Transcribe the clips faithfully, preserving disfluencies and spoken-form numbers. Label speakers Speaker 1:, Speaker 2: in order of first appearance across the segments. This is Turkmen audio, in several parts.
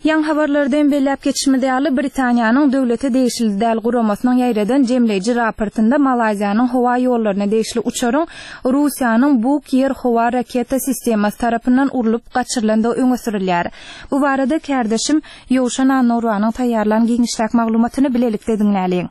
Speaker 1: Ýaňy habarlarda hem belläp geçişimiz ýaly, Britaniýanyň döwlete degişli däl guramasynyň ýaýradan jemleýji raportynda Malaýziýanyň howa ýollaryna degişli uçaryň Russiýanyň Buk ýer-howa raketa sistemasy tarapyndan urlup gaçyrylandygy öňe sürülýär. Bu barada kärdeşim Ýowşan Annagurbanyň taýýarlan giňişräk maglumatyny bilelikde diňläliň.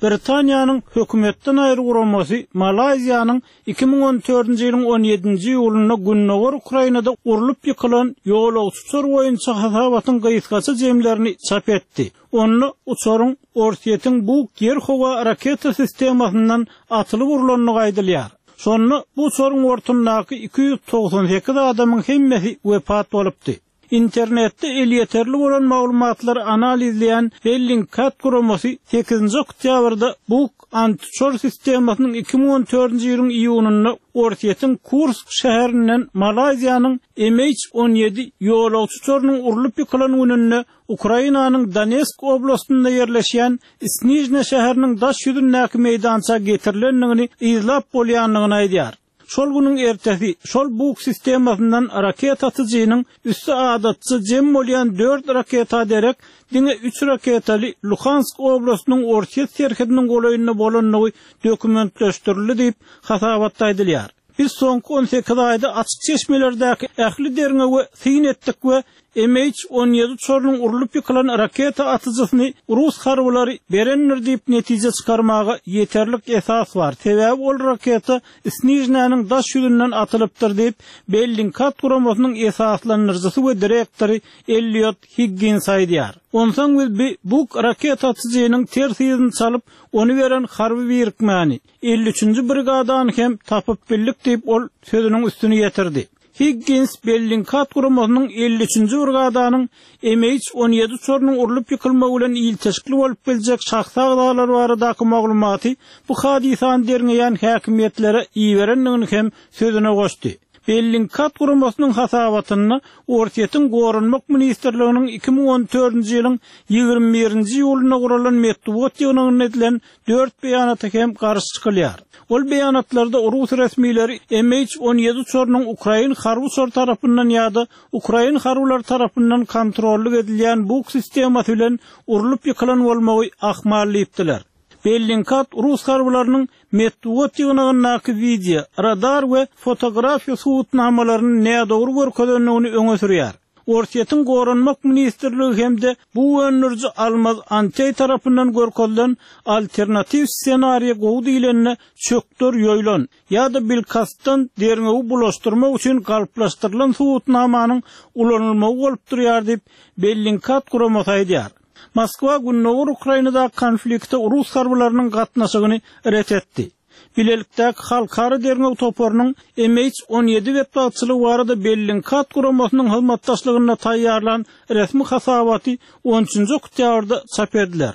Speaker 2: Britaniýanyň hökümetden aýry guramasy Malaýziýanyň iki müň on dördünji ýylyň on ýedinji iýulynda gündogar Ukrainada urlup ýykylan ýolagçy uçar boýunça hasabatyň gysgaça jemlerini çap etdi. Onda uçaryň Orsýetiň Buk ýer-howa raketa sistemasyndan atylyp urlandygy aýdylýar. Şonda bu uçaryň bortundaky iki ýüz togsan sekiz adamyň hemmesi wepat bolupdy. Internetde elýeterli bolan maglumatlary analizleýän Bellingcat guramasy sekizinji oktýabrda Buk antiuçar sistemasynyň iki müň on dördünji ýylyň iýunynda Orsýetiň Kursk şäherinden Malaýziýanyň M H on ýedi ýolagçy uçarynyň urlup ýykylan gününde Ukrainanyň Donetsk oblastynda ýerleşýän Snižne şäheriniň daş ýüzündäki meýdança getirilendigini yzlap bolýandygyny aýdýar. Şol günüň ertesi şol Buk sistemasyndan raketa atyjynyň üsti adatça jem bolýan dört raketa derek diňe üç raketaly Luhansk oblastynyň Orsýet serhediniň golaýynda bolandygy dokumentleşdirildi diýip hasabatda aýdylýar. Biz soňky on sekiz aýda açyk çeşmelerdäki ähli derňewe syn etdik we M H on ýedi uçarynyň urlup ýykylan raketa atyjysyny rus harbylary berendir diýip netije çykarmaga ýeterlik esas bar. Sebäbi ol raketa Snižnäniň daş ýüzünden atylypdyr diýip Bellingcat guramasynyň esaslandyryjysy we direktory Elliot Higgins aýdýar. Onsoň biz bi Buk raketa atyjynyň ters yzyny çalyp, ony beren harby birikmäni elli üçünji brigadany hem tapyp bildik diýip ol sözüniň üstüni ýetirdi. Higgins Bellingcat guramasynyň elli üçünji brigadanyň M H on ýedi uçarynyň urlup ýykylmagy bilen ilteşikli bolup biljek şahsy agzalar baradaky maglumaty bu hadysany derňeýän häkimiýetlere iberendigini hem sözüne goşdy. Bellingcat guramasynyň hasabatynda Orsýetiň Goranmak ministrliginiň iki müň on dördünji ýylyň ýigrimi birinji iýulynda guralan metbugat ýygnagynda edilen dört beýanata hem garşy çykylýar. Ol beýanatlarda Rus resmileri M H on ýedi uçarynyň Ukrain harby uçary tarapyndan ýa-da Ukrain harbylary tarapyndan kontrollyk edilýän Buk sistemasy bilen urlup ýykylan bolmagy ahmal diýipdiler. Bellingcat Rus harbylarynyň metbugat ýygnagyndaky video, radar we fotografiýa subutnamalaryny nädogry görkezendigini öňe sürýär. Orsýetiň Goranmak ministrligi hem-de bu öndüriji Almaz Antey tarapyndan görkezilen alternatiw ssenariýa gowy diýlende çökder ýoýlan ýa-da bilkastdan derňewi bulaşdyrmak üçin galplaşdyrylan subutnamanyň ulanylmagy bolup durýar diýip Bellingcat guramasy aýdýar. Moskwa Gündogar Ukrainada konflikte Rus harbylarynyň gatnaşygyny ret etdi. Bilelikdäki halkara derňew toparynyň M H on ýedi betbagtçylygy barada Bellingcat guramasynyň hyzmatdaşlygynda taýýarlan resmi hasabaty on üçünji oktýabrda çap ediler.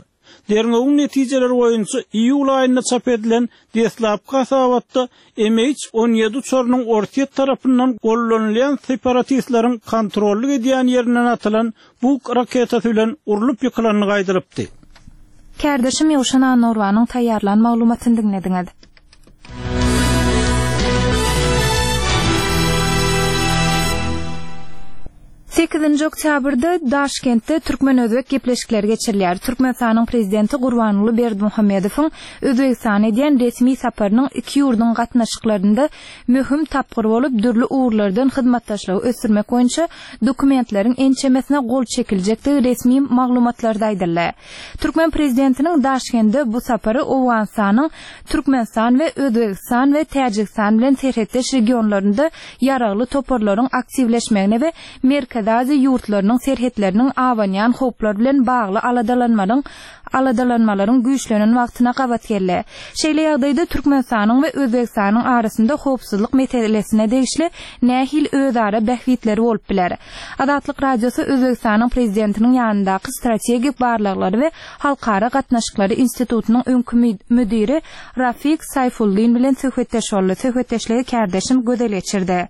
Speaker 2: Derňewiň netijeleri boýunça iýul aýynda çap edilen deslapky hasabatda M H on ýedi uçarynyň Orsýet tarapyndan gollanylýan separatistleriň kontrollyk edýän ýerinden atylan Buk raketasy bilen urlup ýykylandygy aýdylypdy.
Speaker 1: Kärdeşim Ýowşan Annagurbanyň taýýarlan maglumatyny diňlediňiz. Sekizinji oktýabrda Daşkentde Türkmen-Özbek gepleşikleri geçirilýär. Türkmenistanyň prezidenti Gurbanguly Berdimuhamedowyň Özbegistana edýän resmi saparynyň iki ýurduň gatnaşyklarynda möhüm tapgyr bolup, dürli ugurlardan hyzmatdaşlygy ösdürmek boýunça dokumentleriň ençemesine gol çekiljekdigi resmi maglumatlarda aýdyldy. Türkmen prezidentiniň Daşkentde bu sapary Owganystanyň Türkmenistan we Özbegistan we Täjigistan bilen serhetdeş regionlarynda ýaragly toparlaryň aktiwleşmegine we Merkezi Aziýa ýurtlarynyň serhetleriniň abanýan howplar bilen bagly aladalanmaryň, aladalanmalaryň güýçlenen wagtyna gabat geldi. Şeýle ýagdaýda Türkmenistanyň we Özbegistanyň arasynda howpsuzlyk meselesine degişli nähili özara bähbitleri bolup biler? Azatlyk Radiosy Özbegistanyň prezidentiniň ýanyndaky strategik barlaglary we halkara gatnaşyklary institutynyň öňki mü-, müdiri Rafik Saýfullin bilen söhbetdeş boldy. Söhbetdeşligi kärdeşim Gözel geçirdi.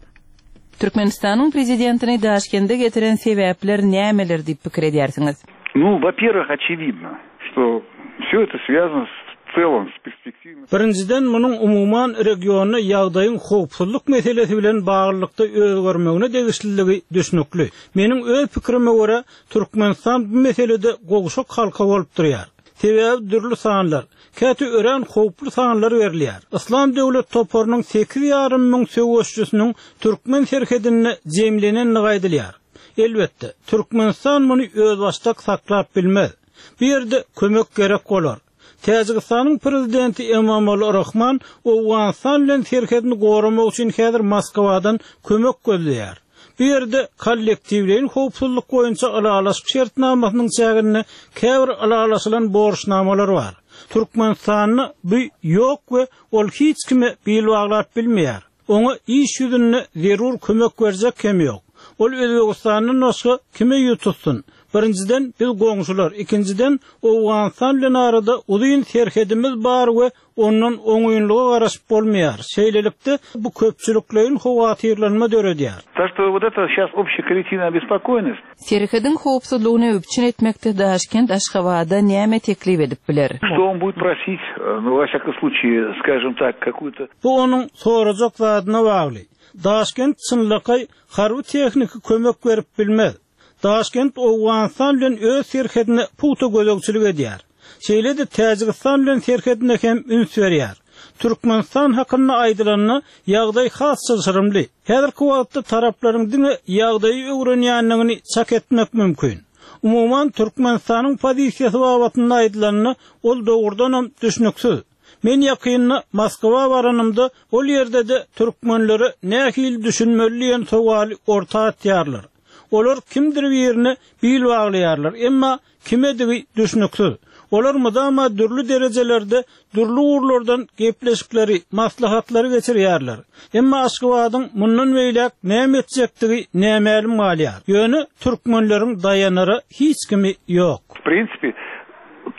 Speaker 3: Türkmenistanyň prezidentini Daşkende getiren sebäpler nämeler diýip pikir edýärsiňiz?
Speaker 4: Ну, во-первых, очевидно, что все это связано с целом с перспективой...
Speaker 2: Birinjiden munuň umuman regionda ýagdaýyň howpsuzlyk meselesi bilen baglylykda özgermegine degişliligi düşnükli. Meniň öz pikrime görä Türkmenistan bu meselede gowşak halka bolup durýar. Sebäbi dürli sanlar, käte örän howply sanlar berilýär. Islam döwlet toparynyň sekiz ýarym müň söweşçisiniň Türkmen serhedinde jemlenenligi aýdylýar. Elbetde, Türkmenistan muny özbaşdak saklap bilmez. Bu ýerde kömek gerek bolar. Täjigistanyň prezidenti Emomali Rahman Owganystan bilen serhedini goramak üçin häzir Moskwadan kömek gözleýär. Bu ýerde kollektiwleýin howpsuzlyk boýunça ylalaşyk şertnamasynyň çäginde käbir ylalaşylan borçnamalar bar. Türkmenistanda bu ýok we ol hiç kime bil baglap bilmeýär. Oňa iş ýüzünde zerur kömek berjek hem ýok. Ol Özbegistandan başga kime ýüz tutsun? Birinjiden biz goňşular, ikinjiden Owganystan bilen arada uzyn serhedimiz bar we ondan oňynlyga garaşyp bolmaýar. Şeýlelikde bu köpçülikleýin howatyrlanma döredýär.
Speaker 4: Так что вот это сейчас общая коллективная обеспокоенность.
Speaker 3: Serhediň howpsuzlygyny üpjün etmekde Daşkent Aşgabada näme teklip edip biler?
Speaker 4: Что он будет просить, э, ну, во всяком случае, скажем так, какую-то...
Speaker 2: Bu onuň sorajak zadyna bagly. Daşkent çynlakaý harby tehniki kömek berip bilmez. Daşkent Owganystan bilen öz serhedine pugta gözegçilik edýär. Şeýle-de Täjigistan bilen serhedine hem üns berýär. Türkmenistan hakynda aýdylanda ýagdaý has çylşyrymly. Häzirki wagtda taraplaryň diňe ýagdaýy öwrenýändigini çak etmek mümkin. Umuman Türkmenistanyň pozisiýasy babatynda aýdylanda ol dogrudanam düşnüksiz. Men ýakynda Moskwa baranymda ol ýerde de türkmenlere nähili düşünmeli diýen sowaly orta atýarlar. Olar kimdir birine bil baglaýarlar, emma kimedigi düşnüksiz. Olar mudama dürli derejelerde, dürli ugurlardan gepleşikleri, maslahatlary geçirýärler. Emma Aşgabadyň mundan beýläk näme etjekdigi nämälim galýar. Ýöne türkmenleriň daýanara hiç kimi ýok.
Speaker 4: В принципе,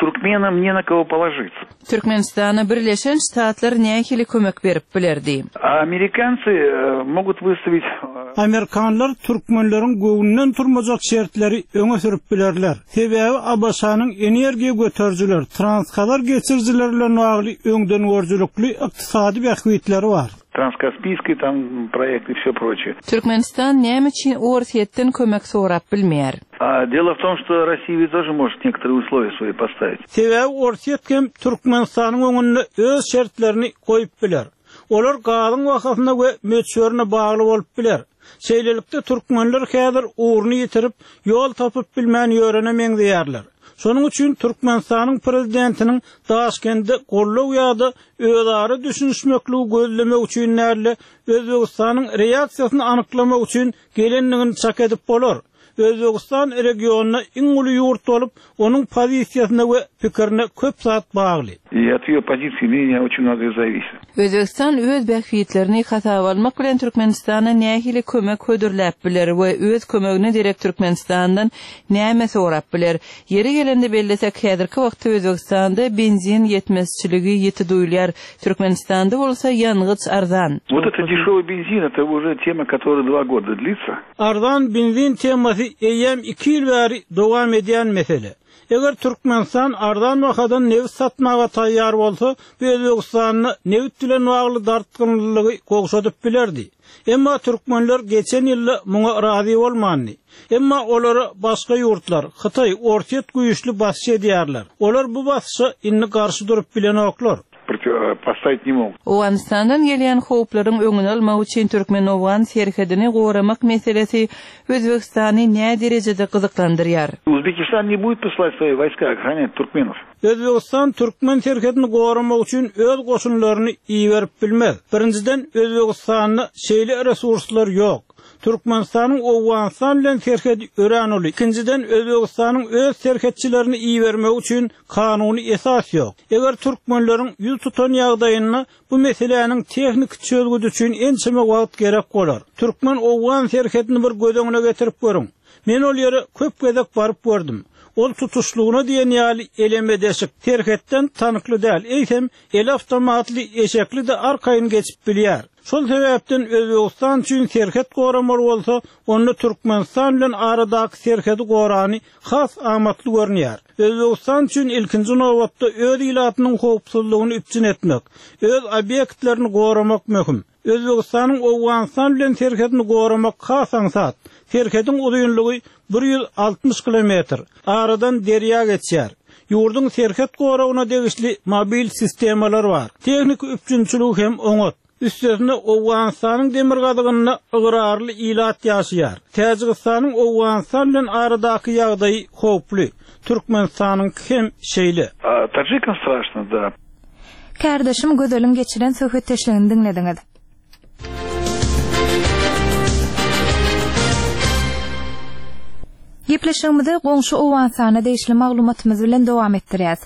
Speaker 4: туркменам не на кого положиться.
Speaker 3: Türkmenistana Birleşen Ştatlar nähili kömek berip bilerdi?
Speaker 4: А американцы э, могут выставить э,
Speaker 2: Amerikanlar türkmenleriň göwnünden turmajak şertleri öňe sürüp bilerler. Sebäbi ABŞ-nyň energiýa göterijiler, transkazar geçirijiler bilen bagly öňden görüjilikli ykdysady bähbitleri bar.
Speaker 4: Транскаспийский там проект и все прочее.
Speaker 3: Türkmenistan näme üçin Orsýetden kömek sorap bilmeýär?
Speaker 4: А дело в том, что Россия ведь тоже может некоторые условия свои поставить.
Speaker 2: Sebäbi Orsýet hem Türkmenistanyň öňünde öz şertlerini goýup biler. Olar gazyň bahasyna we möçberine bagly bolup biler. Şeýlelikde türkmenler häzir ugruny ýitirip, ýol tapyp bilmän ýörene meňzeýärler. Şonuň üçin Türkmenistanyň prezidentiniň Daşkentde gollow ýa-da özara düşünişmekligi gözlemek üçin näle Özbegistanyň reaksiýasyny anyklamak üçin gelenligini çak edip bolar. Özbegistan regionyna iň uly ýurt bolup, onuň pozisiýasyna we pikirine köp zat bagly.
Speaker 4: И от ее позиции мнения очень многое зависит.
Speaker 3: Özbegistan öz bähbitlerini hasaba almak bilen Türkmenistana nähili kömek hödürläp biler we öz kömegini direkt Türkmenistandan näme sorap biler. Ýeri gelende bellesek häzirki wagtda Özbegistanda benzin ýetmezçiligi ýeti duýulýar. Türkmenistanda bolsa ýangyç arzan.
Speaker 4: Вот это дешевый бензин, это уже тема, которая два года длится.
Speaker 2: Arzan benzin temasy eýýäm iki ýyl bäri dowam edýän mesele. Eger Türkmenistan arzan bahadan nebit satmaga taýýar bolsa, bu Özbegistanyň nebit bilen bagly dartgynlygy gowşadyp bilerdi. Emma türkmenler geçen ýylda muňa razy bolmandy. Emma olara başga ýurtlar, Hytaý, Orsýet güýçli basyş edýärler. Olar bu basyşa indi garşy durup bilenoklar.
Speaker 4: Против- э, Поставить не могут.
Speaker 3: Owganystandan gelýän howplaryň öňüni almak üçin Türkmen-Owgan serhedini goramak meselesi Özbegistany nä derejede gyzyklandyrýar?
Speaker 4: Узбекистан не будет посылать свои войска охранять туркменов.
Speaker 2: Özbegistan türkmen serhedini goramak üçin öz goşunlaryny iberip bilmez. Birinjiden Özbegistanda şeýle resurslar ýok. Türkmenistanyň Owganystan bilen serhedi örän uly. Ikinjiden Özbegistanyň öz serhetçilerini ibermek üçin kanuny esas ýok. Eger türkmenleriň ýüz tutan ýagdaýyny bu meseläniň tehniki çözgüdi üçin ençeme wagt gerek bolar. Türkmen Owgan serhedini bir göz öňüne getirip görüň. Men ol ýere köp gezek baryp gördüm. Ol tutuşlugyna diýen ýaly eleme deşik serhetden tanykly däl. Eýsem el avtomatly eşekli de arkaýyn geçip bilýär. Şol sebäpden Özbegistan üçin serhet goramaly bolsa, onda Türkmenistan bilen aradaky serhedi gorany has amatly görünýär. Özbegistan üçin ilkinji nobatda öz ilatynyň howpsuzlygyny üpjün etmek, öz obýektlerini goramak möhüm. Özbegistanyň Owganystan bilen serhedini goramak has aňsat. Serhediň uzynlygy bir ýüz altmyş kilometr. Aradan derýa geçýär. Ýurduň serhet goragyna degişli mobil sistemalar bar. Tehniki üpjünçiligi hem oňat. Üstesine Owganystanyň demirgazygynda ygrarly ilat ýaşaýar. Täjigistanyň Owganystan bilen aradaky ýagdaýy howply. Türkmenistanyňky hem şeýle.
Speaker 4: A таджикам страшно, да.
Speaker 1: Kärdeşim Gözeliň geçiren söhbetdeşligini diňlediňiz. Gepleşigimizi goňşy Owganystana degişli maglumatymyz bilen dowam etdirýäs.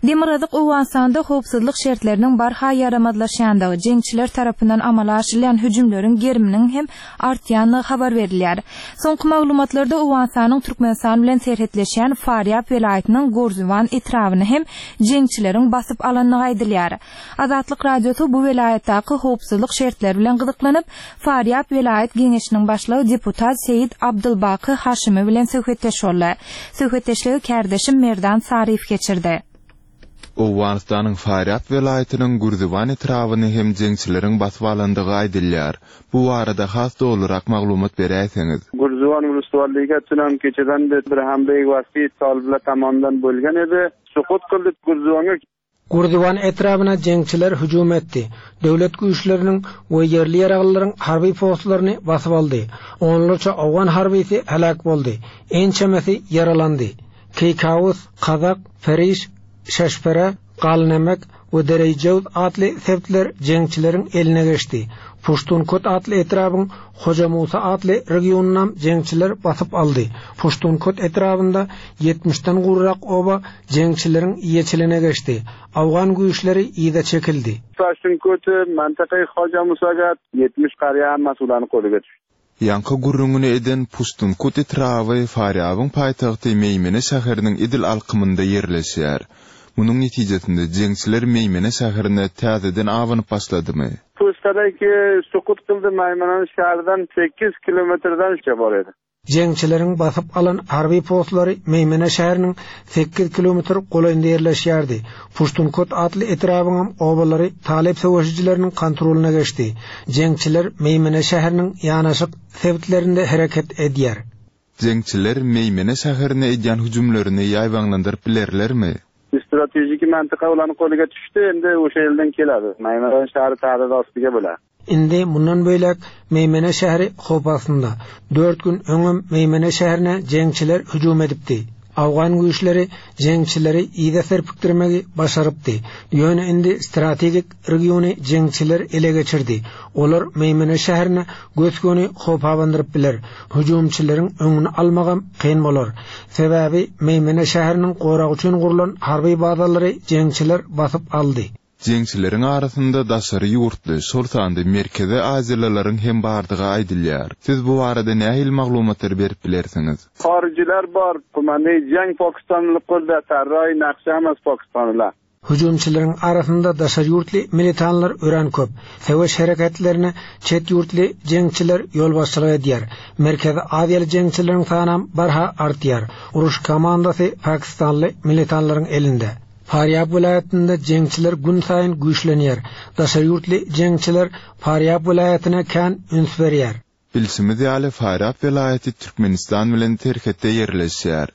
Speaker 1: Demirgazyk Owganystanda howpsuzlyk şertleriniň barha ýaramazlaşýandygy, jeňçiler tarapyndan amala aşyrylýan hüjümleriň geriminiň hem artýandygy habar berilýär. Soňky maglumatlarda Owganystanyň Türkmenistan bilen serhetleşýän Farýab welaýatynyň Gorzuwan etrabyny hem jeňçileriň basyp alandygy aýdylýar. Azatlyk Radiosy bu welaýatdaky howpsuzlyk şertleri bilen gyzyklanyp, Farýab welaýat geňeşiniň başlygy deputat Seýid Abdulbaky Haşimi bilen söhbetdeş boldy. Söhbetdeşligi kärdeşim Merdan Saryýew geçirdi.
Speaker 5: Owganystanyň Farýab welaýatynyň Gürziwan etrabyny hem jeňçileriň basyp alandygy aýdylýar. Bu barada has dolurak maglumat beräýseňiz.
Speaker 6: Gürziwan uluslararlyga tunan kechadan bir hamla vasiy toliblar tomonidan bo'lgan edi. Suqut qildi Gürziwanga.
Speaker 7: Gürziwan etrabyna jeňçiler hüjüm etdi. Döwlet güýçleriniň we ýerli ýaraglylaryň harby postlaryny basyp aldy. Onlarça Owgan harbysy helak boldy. Ençemesi ýaralandy. Keykawus, Kazak, Feriş, Şeşpere, Galnemek we Derejewz atly sebitler jeňçileriň eline geçdi. Puştunkot atly etrabyň Hoja Musa atly regionynam jeňçiler basyp aldy. Puştunkot etrabynda ýetmişden gurrak oba jeňçileriň ýeçiline geçdi. Awgan güýçleri ýyda çekildi.
Speaker 6: Puştunkot mantakay Hoja Musaga ýetmiş qarya hammasi ularni qo'liga tushdi.
Speaker 5: Ýanky gürrüňini eden Puştunkot etraby Farýabyň paýtagty Meýmene şäheriniň edil alkymynda ýerleşýär. Munuň netijesinde jeňçiler Meýmene şäherine täzeden abanyp başladymy?
Speaker 6: Puştadaki suqut qildi Maymanan şäherinden sekiz kilometrden bor edi.
Speaker 7: Jeňçileriň basyp alan harby postlary Meýmene şäheriniň sekiz kilometr golaýynda ýerleşýärdi. Puştunkot atly etrabyň obalary Talip söweşijileriniň kontrolyna geçdi. Jeňçiler Meýmene şäheriniň ýanaşyk sebitlerinde hereket edýär.
Speaker 5: Jeňçiler Meýmene şäherine edýän hüjümlerini ýaýbaňlandyryp bilerlermi?
Speaker 6: Stratejik mantiqa ularning qo'liga tushdi, endi o'sha yerdan keladi. Maymana shahri ta'did ostiga bo'ladi.
Speaker 7: Indi mundan böýlek Meýmene şäheri howp astynda. Dört gün öňem Meýmene şäherine jeňçiler hüjüm edipdi. Awgan güýçleri jeňçileri ýyda serpikdirmegi başarypdy. Ýöne indi strategik regiony jeňçiler ele geçirdi. Olar Meýmene şäherine göz-göni howp abandyryp biler. Hüjümçileriň öňüni almagam kyn bolar. Sebäbi Meýmene şäheriniň goragy üçin gurlan harby bazalary jeňçiler basyp aldy.
Speaker 5: Jeňçileriň arasynda daşary ýurtly, şol sanda Merkezi Aziýalylaryň hem bardygy aýdylýar. Siz bu barada nähili maglumatlary berip bilersiňiz?
Speaker 6: Harijiler bar, kumanday jang Pakistanly qurda, tarroy naqsha emas Pakistanlylar.
Speaker 7: Hüjümçileriň arasynda daşary ýurtly militanlar ören köp. Söweş hereketlerine çet ýurtly jeňçiler ýolbaşçylyk edýär. Merkezi Aziýaly jeňçileriň sanam barha artýar. Uruş komandasy Pakistanly militanlaryň elinde. Farýab welaýatynda jeňçiler gün saýyn güýçlenýär. Daşary ýurtly jeňçiler Farýab welaýatyna kän üns berýär.
Speaker 5: Bilşimiz ýaly Farýab welaýaty Türkmenistan bilen serhetde ýerleşýär.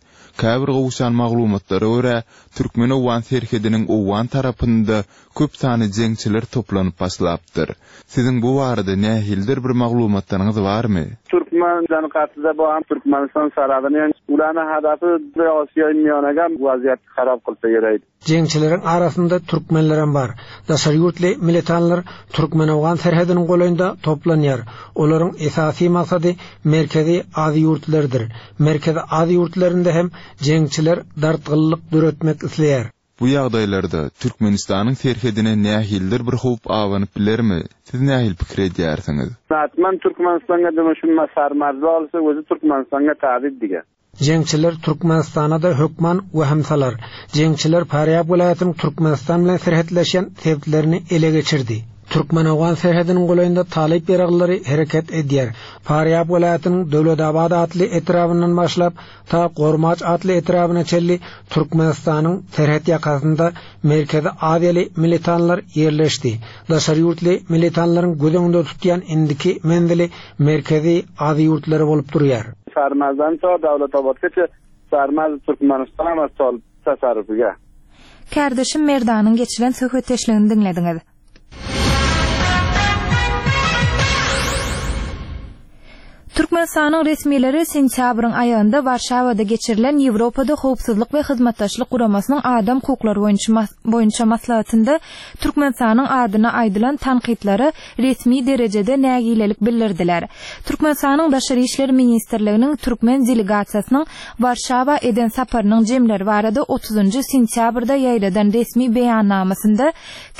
Speaker 5: Käbir gowşan maglumatlara görä, Türkmen-Owgan serhediniň Owgan tarapynda köp sany jeňçiler toplanyp başlapdyr. Siziň bu barada nähilidir bir maglumatlaryňyz barmy?
Speaker 6: Türkmenistan gatyda bu ham Türkmenistan saradyny, ýani ularni hadafi bir Osiyo miyonaga vaziyat xarob qilsa kerak.
Speaker 7: Jeňçileriň arasynda türkmenler hem bar. Daşary ýurtly militanlar Türkmen-Owgan serhediniň golaýynda toplanýar. Olaryň esasy maksady Merkezi Aziýa ýurtlarydyr. Merkezi Aziýa ýurtlarynda hem jeňçiler dartgynlyk döretmek isleýär.
Speaker 5: Bu ýagdaýlarda Türkmenistanyň serhedine nähilidir bir howp abanyp bilermi? Siz nähili pikir edýärsiňiz?
Speaker 6: Hatman Türkmenistanga demişim sarmazda olsa o'zi Türkmenistanga ta'did degan.
Speaker 7: Jeňçiler Türkmenistana da hökman wahimsalar. Jeňçiler Farýab welaýatynyň Türkmenistan bilen serhetleşen sebitlerini ele geçirdi. Türkmen-Owgan serhediniň golaýynda talyp ýaraglylary hereket edýär. Farýab welaýatynyň Döwletabad atly etrabyndan başlap, ta Gormaç atly etrabyna çenli Türkmenistanyň serhet ýakasynda Merkezi Aziýaly militanlar ýerleşdi. Daşary ýurtly militanlaryň göz öňünde tutýan indiki menzili Merkezi Aziýa ýurtlary bolup durýar.
Speaker 6: Sarmazdan to Döwletabadgaça Sarmaz Türkmenistan we Tol tasarrufiga.
Speaker 1: Kärdeşim Merdanyň geçiren söhbetdeşligini diňlediňiz. Türkmenistanyň resmileri sentýabryň aýagynda Warşawada geçirilen Ýewropada Howpsuzlyk we Hyzmatdaşlyk Guramasynyň adam hukuklary boýunça boýunça maslahatynda Türkmenistanyň adyna aýdylan tankytlara resmi derejede nägilelik bildirdiler. Türkmenistanyň Daşary işler ministrliginiň türkmen delegasiýasynyň Warşawa eden saparynyň jemleri barada otuzynjy sentýabrda ýaýradan resmi beýannamasynda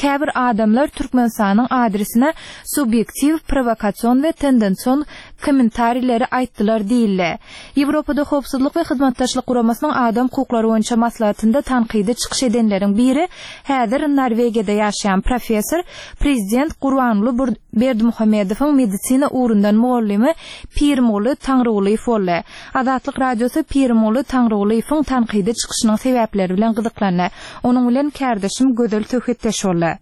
Speaker 1: käbir adamlar Türkmenistanyň adresine subýektiw, prowokasion we tendension kommentarileri aýtdylar diýildi. Ýewropada Howpsuzlyk we Hyzmatdaşlyk Guramasynyň adam hukuklary boýunça maslahatynda tankydy çykyş edenleriň biri häzir Norwegiýada ýaşaýan professor, prezident Gurbanguly Berdimuhamedowyň medisina ugrundan mugallymy Pirmuly Taňrygulyýew boldy. Azatlyk Radiosy Pirmuly Taňrygulyýewiň tankydy çykyşynyň sebäpleri bilen gyzyklandy. Onuň bilen kärdeşim Gözel söhbetdeş boldy.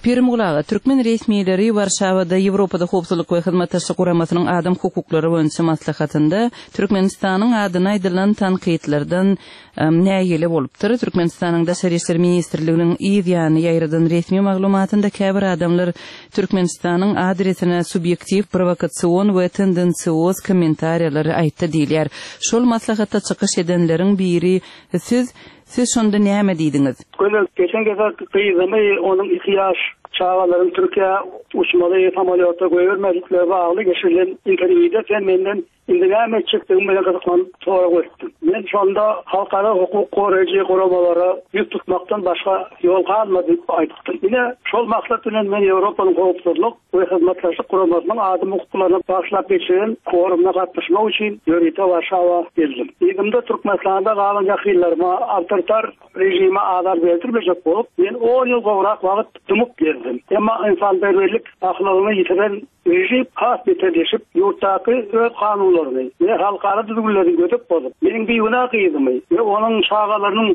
Speaker 3: Pirimguly aga, türkmen resmileri Warşawada Ýewropada Howpsuzlyk we Hyzmatdaşlyk Guramasynyň adam hukuklary boýunça maslahatynda Türkmenistanyň adyna aýdylan tankytlardan nägile bolupdyr. Türkmenistanyň Daşary işler ministrliginiň yz ýany ýaýradan resmi maglumatynda käbir adamlar Türkmenistanyň adresine subýektiw, prowokasion we tendensioz kommentariýalary aýtdy diýilýär. Şol maslahatda çykyş edenleriň biri siz Siz şonda näme diýdiňiz?
Speaker 8: Gözel, geçen gezek gyzymy onuň iki ýaş çagalaryň Türkiýä uçmaly samolýotda goýbermedikleri bagly geçirilen interwýuda sen menden indi näme etjekdigim bilen gyzyklanyp sorag berdim. Men şonda halkara hukuk goraýjy guramalara ýüz tutmakdan başga ýol galmady diýip aýtdym. Ine, şol maksat bilen men Ýewropanyň Howpsuzlyk we Hyzmatdaşlyk Guramasynyň adam hukuklaryna bagyşlap geçiren forumyna gatnaşmak üçin ýörite Warşawa geldim. Yzymda Türkmenistanda galan ýakynlaryma awtoritar rejime azar berdirmejek bolup, men on ýyl gowrak wagt dymyp gezdim. Emma insanperwerlik ahlagyny ýitiren rejim has beterleşip, ýurtdaky öz kanunlaryny we halkara düzgünlerini gödek bozup, meniň bigünä gyzymy we onuň çagalarynyň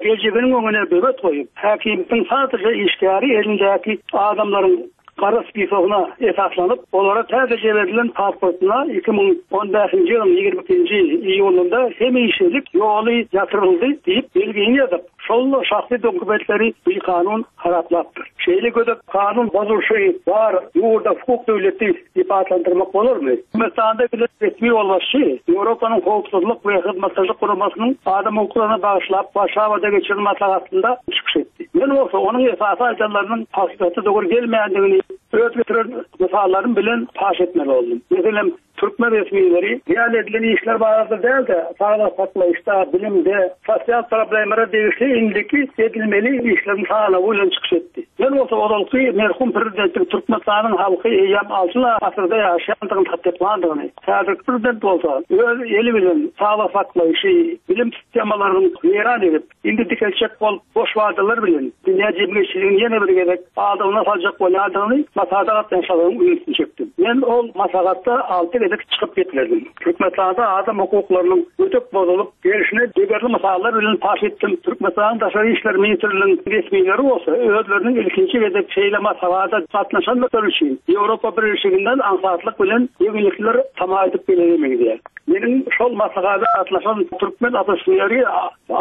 Speaker 8: geljeginiň öňüne böwet goýup, häkimiýetiň sadece işgäri elindäki adamlaryň gara spisogyna esaslanyp, olara täze verilen pasportuna iki müň on bäşinji ýylyň ýigrimi ikinji iýulynda hemişelik ýoly ýatyryldy diýip belgini ýazyp, şol şahsy dokumentleri bikanun haraplapdyr. Şeýle gödek kanun bozulşy bar, ýurda hukuk döwleti diýip atlandyrmak bolarmy? Türkmenistanda bile resmi ýolbaşçy Ýewropanyň Howpsuzlyk we Hyzmatdaşlyk Guramasynyň adam hukuklaryna bagyşlap Warşawada geçirilen maslahatynda çykyş etdi. Men bolsa onuň esasy aýdanlarynyň hakykata dogry gelmeýändigini öz getiren mysallarym bilen paş etmeli oldum. Meselem, türkmen resmileri real edilen işler barada däl-de, saglyk saklaýyşda, bilimde, sosial problemlere degişli indiki edilmeli işleriň sanawy bilen çykyş etdi. Men bolsa ozalky merhum prezidentiň Türkmenistanyň halky eýýäm altyn asyrda ýaşaýandygyny tassyklandygyny, häzirki prezident bolsa öz eli bilen saglyk saklaýyşy, bilim sistemalaryny weýran edip, indi dikeltjek bolup boş wadalar bilen dünýä jemgyýetçiligini ýene bir gezek aldygyna saljak bolýandygyny maslahat gatnaşyklaryň ünsüni çekdim. Men ol maslahatda alty gezek çykyp gitmedim. Türkmenistanda adam hukuklarynyň ötüp bozulyp gelşine degerli mysallar bilen paş etdim. Türkmenistanyň Daşary işler ministrliginiň resmileri bolsa özleriniň ilkinji gezek şeýle maslahata gatnaşandyklary üçin Ýewropa Birleşiginden aňsatlyk bilen ýeňillikler tama edip bilenemedi. Meniň şol maslahata gatnaşan türkmen oppozisioneri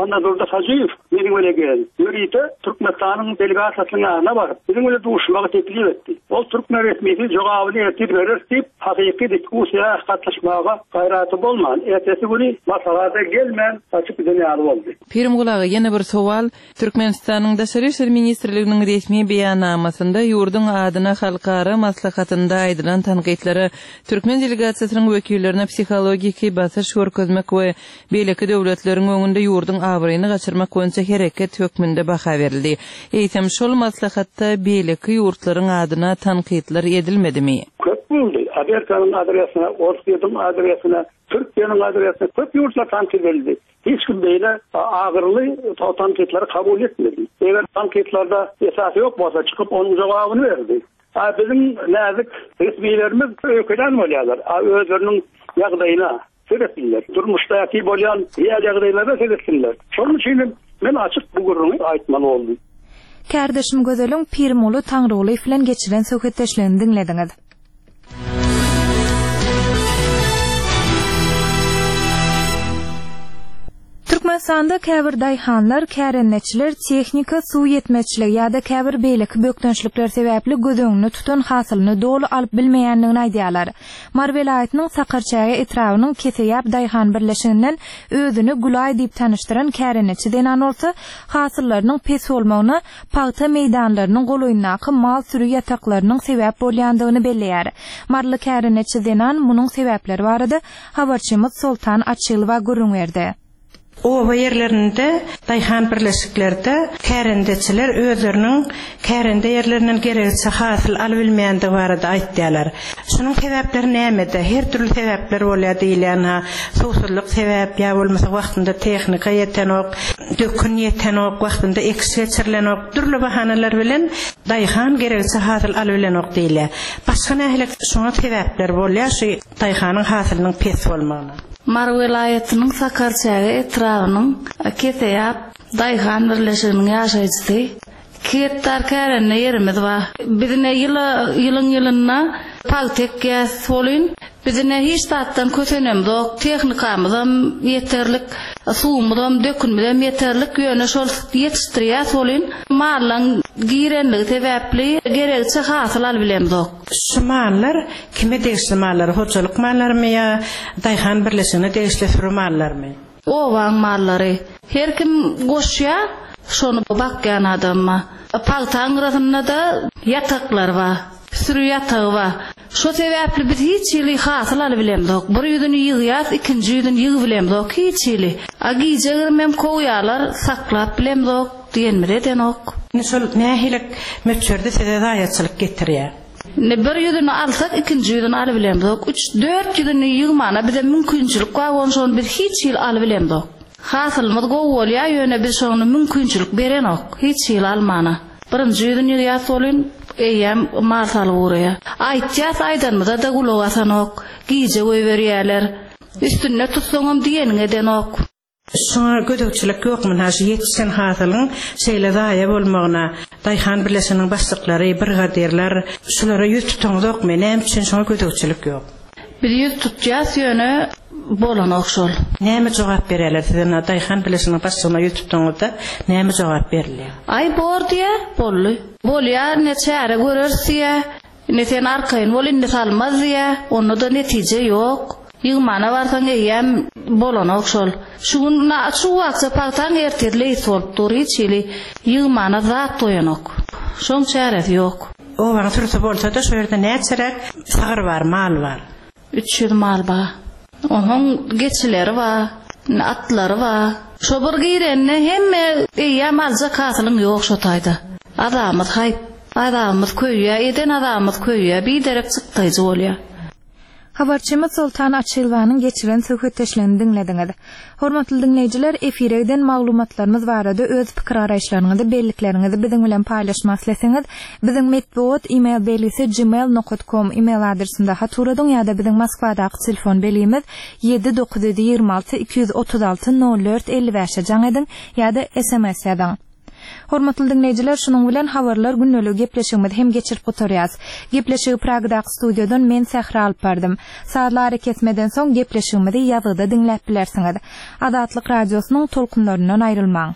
Speaker 8: Annadurdy Hajyýew meniň bilen geldi. Ýörite Türkmenistanyň delegasiýasynyň ýanyna baryp, biziň bilen duşmagy teklip etdi. Ol türkmen resmisi jogabyny ertir berer diýip, hakyky diskussiýa gatnaşmaga gaýraty bolman, ertesi güni maslahata gelmän gaçyp giden ýaly boldy.
Speaker 3: Pirimguly aga, ýene bir sowal. Türkmenistanyň Daşary işler ministrliginiň resmi beýannamasynda ýurduň adyna halkara maslahatynda aýdylan tankytlara türkmen delegasiýasynyň wekillerine psihologiki basyş görkezmek we beýleki döwletleriň öňünde ýurduň abraýyny gaçyrmak boýunça hereket hökmünde baha berildi. Eýsem şol maslahatda beýleki ýurtlaryň adyna tankytlar edilmedimi?
Speaker 8: Köp boldy. Amerikanyň adresine, Orsýetiň adresine, Türkiýäniň adresine köp ýurtlar tankyt edildi. Hiç kim beýle agyrly tankytlary kabul etmedi. Eger tankytlarda esas ýok bolsa çykyp onuň jogabyny berdi. A biziň näzik resmilerimiz öýkelen bolýarlar. A özleriniň ýagdaýyna seretsinler. Durmuşdaky bolýan ýer ýagdaýlara seretsinler. Şonuň üçin men açyk bu gürrüňi aýtmaly boldum.
Speaker 1: Kärdeşim Gözeliň Pirmuly Taňrygulyýew bilen geçiren söhbetdeşligini diňlediňiz. Türkmenistanda käbir daýhanlar, kärendeçiler tehnika suw ýetmezçiligi ýa-da käbir beýleki bökdençlikler sebäpli göz öňünde tutan hasylyny doly alyp bilmeýändigini aýdýarlar. Mary welaýatynyň Sakarçäge etrabynyň Keseýap daýhan birleşiginden özüni Gülaý diýip tanyşdyran kärendeçi zenan bolsa, hasyllarynyň pes bolmagyna pagta meýdanlarynyň golaýyndaky mal sürü ýataklarynyň sebäp bolýandygyny belleýär. Maryly kärendeçi zenan munuň sebäpleri barada habarçymyz Soltan Açylowa gürrüň berdi.
Speaker 9: Oba ýerlerinde daýhan birleşiklerde kärendeçiler özleriniň kärende ýerlerinden gerekçe hasyl alyp bilmeýändigi barada aýtýarlar. Şunuň sebäpleri nämede? Her türlü sebäpler bolýar diýilýän ha, suwsuzlyk sebäp ýa bolmasa wagtynda tehnika ýetenok, dökün ýetenok, wagtynda ekiş geçirilenok, dürli bahanalar bilen daýhan gerekçe hasyl alyp bilenok diýilýär. Başga nähili şoňa sebäpler bolýar şu daýhanyň hasylynyň pes bolmagyna?
Speaker 10: Mary welaýatynyň Sakarçäge etrabynyň Keseýap daýhan birleşiginiň ýaşaýjysy. Iki gektar kärende ýerimiz bar. Bizine ýyla ýylyň ýylynda pagta ekýäs bolyn. Bizine hiç zatdan kösenemzok, tehnikamyzam ýeterlik, suwumyzam, dökünimizem ýeterlik, ýöne şol ýetişdirýäs bolyn. Mallaň girenligi sebäpli gerekçe hasyl alyp bilemzok.
Speaker 9: Şu mallar kime degişli mallar? Hojalyk mallarymy ýa daýhan birleşigine degişli sürü mallarmy?
Speaker 10: Owaň mallary. Her kim goşýa, şonu bakýan adamma. Pagtaň gyrasynda da ýataklar bar, sürü ýatagy bar. Şo sebäpli biz hiç ýyly hasyl alyp bilemzok. Bir ýüzüni ýygýas, ikinji ýüzüni ýygyp bilemzok hiç ýyly. A gije girmem kowýarlar, saklap bilemzok diýenmiz edenok.
Speaker 9: Indi şol nähili möçberde size zaýaçylyk getirýär?
Speaker 10: Ne bir ýüzüni alsak, ikinji ýüzüni alyp bilemzok. Üç, dört ýüzüni ýygmana bize mümkinçilik bar, ondan şony biz hiç ýyl alyp bilemzok. Hasylymyz gowy bolýar, ýöne biz şony mümkinçilik berenok, hiç ýyl almana. Birinji ýüzüni ýygýas bolyn, eýýäm mal salyp ugraýar. Aýtýas aýdanymyza da gulak asanok, gije goýberýärler. Üstünde tutsaňam diýeniň edenok.
Speaker 9: Şoňa gözegçilik ýokmy? Ha, şu ýetişen hasylyň şeýle zaýa bolmagyna daýhan birleşiginiň başlyklary, brigadirler şulara ýüz tutaňyzokmy? Näme üçin şoňa gözegçilik ýok?
Speaker 10: Biz ýüz tutýas ýöne bolanok şol.
Speaker 9: Näme jogap berýärler size? Na daýhan birleşiginiň başlygyna ýüz tutaňyzda näme jogap berilýär?
Speaker 10: Aý bor diýe, boldy. Bolýar, ne çäre görers diýe. Ne sen arkaýyn bol, indi salmaz diýe. Onda da netije ýok. Ýygmana barsaň eýýäm bolanok şol. Şu gün na şu wagtda pagtaň ertir leýs bolup dur, hiç hili ýygmana zat doýanok. Şoň çäresi ýok.
Speaker 9: Owaň sürüsi bolsa da şu ýerde näçeräk sagyr bar, mal bar?
Speaker 10: Üç ýüz mal bar. Onuň geçileri bar, atlary bar. Şo bir girende hemme eýýäm aljak hasylyň ýok şo taýda. Azamyz haýp, azamyz köýýä, eden azamyz köýýä, biderek çykdaýjy bolýar.
Speaker 1: Habarçymyz Soltan Açylwanyň geçiren söhbetdeşligini diňlediňiz. Hormatly diňleýjiler, efire giden maglumatlarymyz barada öz pikir garaýyşlaryňyzy, bellikleriňizi biziň bilen paýlaşmak isleseňiz, biziň metbugat e-mail belgisi gmail nokta com e-mail adresinde hat uradyň ýa-da biziň Moskwadaky telefon belgimiz ýedi dokuz ýedi ýigrimi alty iki ýüz otuz alty nol dört elli bäşe jaň ediň ýa-da S M S ýazyň. Hormatly diňleýjiler, şunuň bilen habarlar gündelik gepleşigimizi hem geçirip gutarýas. Gepleşigi Pragdaky studiýadan men Sähra alyp bardym. Sazlary kesmeden soň gepleşigimizi ýazgyda diňläp bilersiňiz. Azatlyk radiosynyň tolkunlaryndan aýrylmaň.